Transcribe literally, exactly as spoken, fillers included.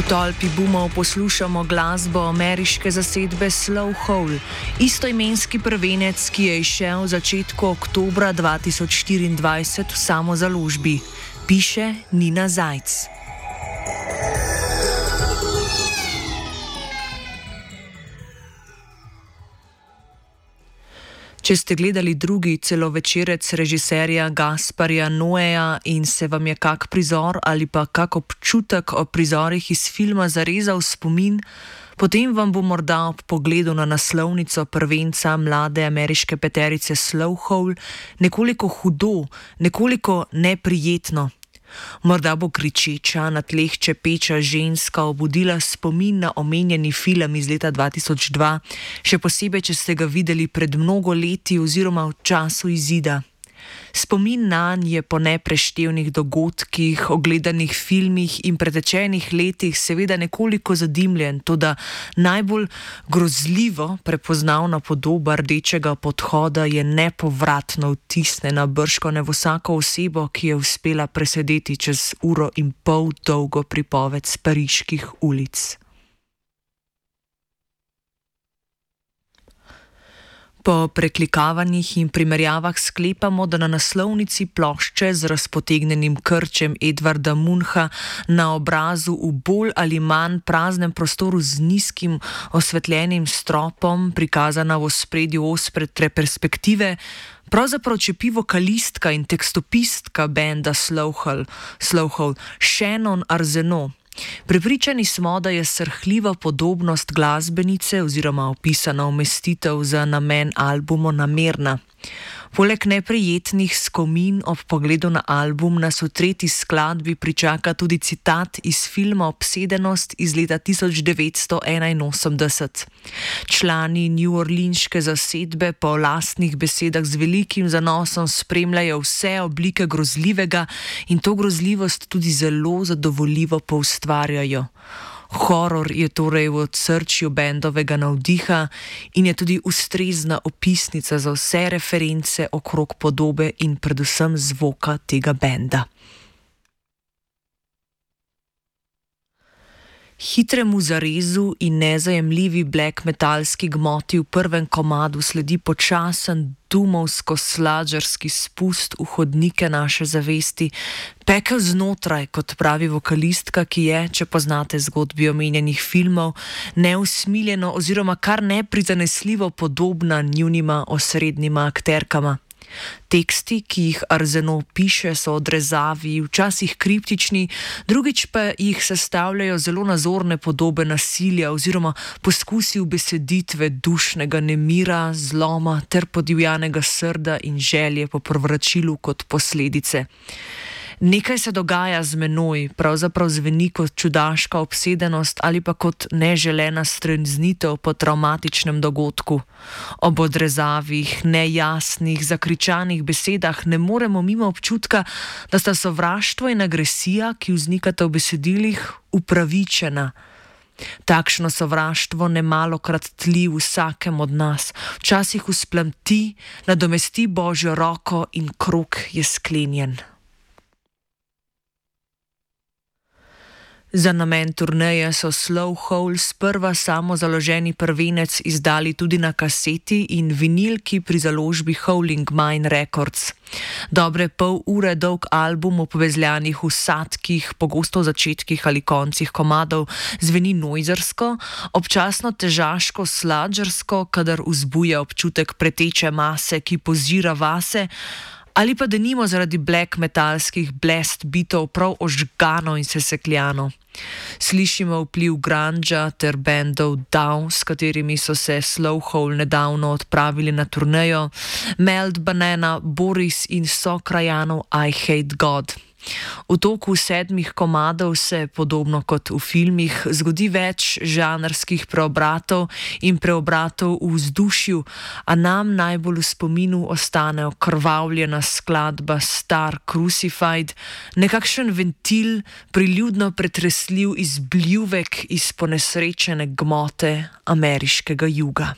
tolpi boomov poslušamo glasbo ameriške zasedbe Slow Hole, istoimenski prvenec, ki je izšel v začetku oktobra dva tisoč štiriindvajset v samozaložbi. Piše Nina Zajc. Če ste gledali drugi celovečerec režiserja Gasparja Noéja in se vam je kak prizor ali pa kak občutek o prizorih iz filma zarezal v spomin, potem vam bo morda ob pogledu na naslovnico prvenca mlade ameriške peterice Slow Hole nekoliko hudo, nekoliko neprijetno. Morda bo kričeča, na tleh čepeča ženska obudila spomin na omenjeni film iz leta dva tisoč dva, še posebej, če ste ga videli pred mnogo leti oziroma v času izida. Spomin nanj je po nepreštevnih dogodkih, ogledanih filmih in pretečenih letih seveda nekoliko zadimljen, toda najbolj grozljivo prepoznavna podoba rdečega podhoda je nepovratno vtisnjena bržkone v vsako osebo, ki je uspela presedeti čez uro in pol dolgo pripoved s pariških ulic. Po preklikavanjih in primerjavah sklepamo, da na naslovnici plošče z razpotegnjenim krčem Edvarda Muncha na obrazu v bolj ali manj praznem prostoru z nizkim osvetljenim stropom, prikazana v ospredju ostre perspektive, pravzaprav čepi vokalistka in tekstopistka benda Slow Hole, Slow Hole, Shannon Arsenault. Prepričani smo, da je srhljiva podobnost glasbenice oziroma opisana umestitev za namen albuma namerna. Poleg neprijetnih skomin ob pogledu na album nas v tretji skladbi pričaka tudi citat iz filma Obsedenost iz leta tisoč devetsto enainosemdeset. Člani neworleanske zasedbe po lastnih besedah z velikim zanosom spremljajo vse oblike grozljivega in to grozljivost tudi zelo zadovoljivo poustvarjajo. Horor je torej v odsrčju bendovega navdiha in je tudi ustrezna opisnica za vse reference okrog podobe in predvsem zvoka tega benda. Hitremu zarezu in nezajemljivi black metalski gmoti v prvem komadu sledi počasen dumovsko-sladžerski spust v hodnike naše zavesti, pekel znotraj, kot pravi vokalistka, ki je, če poznate zgodbi omenjenih filmov, neusmiljeno oziroma kar neprizanesljivo podobna njunima osrednjima akterkama. Teksti, ki jih Arsenault piše, so odrezavi, včasih kriptični, drugič pa jih sestavljajo zelo nazorne podobe nasilja oziroma poskusi ubeseditve dušnega nemira, zloma ter podivjanega srda in želje po povračilu kot posledice. Nekaj se dogaja z menoj, pravzaprav zveni kot čudaška obsedenost ali pa kot neželena streznitev po travmatičnem dogodku. Ob odrezavih, nejasnih, zakričanih besedah ne moremo mimo občutka, da sta sovraštvo in agresija, ki vznikata v besedilih, upravičena. Takšno sovraštvo nemalokrat tli vsakem od nas, včasih vzplamti, nadomesti Božjo roko in krog je sklenjen. Za namen turneje so Slow Hole sprva samozaloženi prvenec izdali tudi na kaseti in vinilki pri založbi Howling Mine Records. Dobre pol ure dolg album o povezljanih vsadkih, pogosto v začetkih ali koncih komadov, zveni noizersko, občasno težaško sladžersko, kadar vzbuja občutek preteče mase, ki pozira vase, ali pa denimo zaradi black metalskih blast bitov prav ožgano in sesekljano. Slišimo vpliv grunga ter bendov Down, s katerimi so se Slow Hole nedavno odpravili na turnejo, Melt Banana, Boris in sokrajanov I Hate God. V toku sedmih komadov se, podobno kot v filmih, zgodi več žanrskih preobratov in preobratov v vzdušju, a nam najbolj v spominu ostane okrvavljena skladba Star Crucified, nekakšen ventil, priljudno pretresljiv izbljuvek iz ponesrečene gmote ameriškega juga.